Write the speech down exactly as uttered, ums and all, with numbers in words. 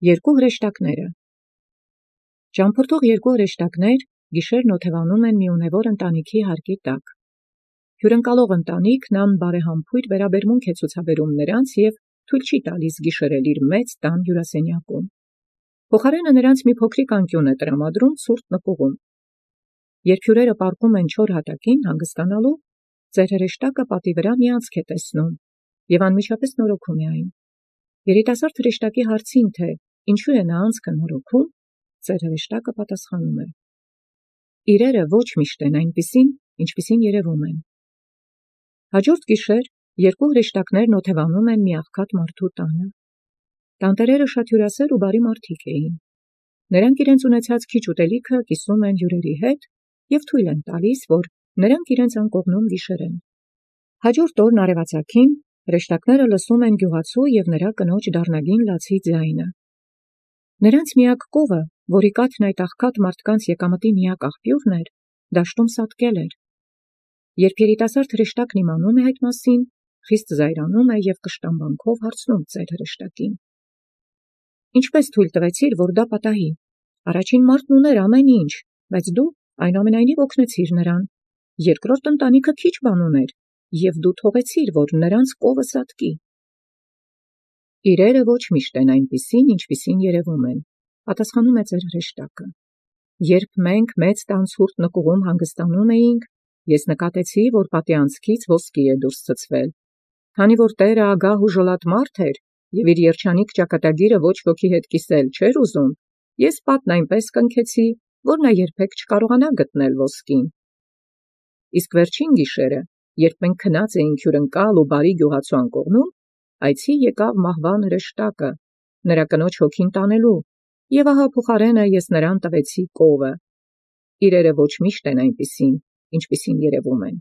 Երկու հրեշտակները Ճամփորդող երկու հրեշտակներ գիշերն օթևանում են մի ունևոր ընտանիքի հարկի տակ։ Հյուրընկալող ընտանիքն անբարեհամբույր վերաբերմունք է ցուցաբերում նրանց և թույլ չի տալիս գիշերել իր մեծ տան հյուրասենյակում։ Փոխարենը նրանց մի փոքրիկ անկյուն է տրամադրում ցուրտ նկուղում։ Երբ հյուրերը պառկում են չոր հատակին հանգստանալու, ծեր հրեշտակը պատի վրա մի անցք է տեսնում և անմիջապես նորոգում է այն։ Երիտասարդ հրեշտակի հարցին, թե ինչու է նա անցքը նորոգում, ծեր հրեշտակը պատասխանում է. իրերը ոչ միշտ են այնպիսին, ինչպիսին երևում են։ Հաջորդ գիշեր երկու հրեշտակներն օթևանում են մի աղքատ մարդու տանը։ Տանտերերը շատ հյուրասեր ու բարի մարդիկ էին։ Նրանք իրենց ունեցած քիչ ուտելիքը կիսում են հյուրերի հետ և թույլ են տալիս, որ նրանք իրենց անկողնում գիշերեն։ Հաջորդ օրն արևածագին հրեշտակները լսում են գյուղացու և նրա կնոջ դառնագին լացի ձայնը։ Նրանց միակ կովը, որի կաթն այդ աղքատ մարդկանց եկամտի միակ աղբյուրն էր, դաշտում սատկել էր։ Երբ երիտասարդ հրեշտակն իմանում է այդ մասին, խիստ զայրանում է և կշտամբանքով հարցնում ծեր հրեշտակին. Ինչպե՞ս թույլ տվեցիր, որ դա պատահի։ Առաջին մարդն ուներ ամեն ինչ, բայց դու այնուամենայնիվ օգնեցիր նրան։ Երկրորդ ընտանիքը քիչ բան ուներ, և դու թողեցիր, որ նրանց կովը սատկի։ Իրերը ոչ միշտ են այնպիսին, ինչպիսին երևում են, պատասխանում է ծեր հրեշտակը։ Երբ մենք մեծ տան ցուրտ նկուղում հանգստանում էինք, ես նկատեցի, որ պատի անցքից ոսկի է դուրս ցցվել։ Քանի որ տերը ագահ ու ժլատ մարդ էր և իր երջանիկ ճակատագիրը ոչ ոքի հետ կիսել չէր ուզում, ես պատն այնպես կնքեցի, որ նա երբեք չկարողանա գտնել ոսկին։ Իսկ վերջին գիշերը, երբ մենք քնած էինք հյուրընկալ ու բարի գյուղացու անկողնում, այցի եկավ մահվան հրեշտակը, նրա կնոջ հոգին տանելու, և ահա փոխարենը ես նրան տվեցի կովը։ Իրերը ոչ միշտ են այնպիսին, ինչպիսին երևում են։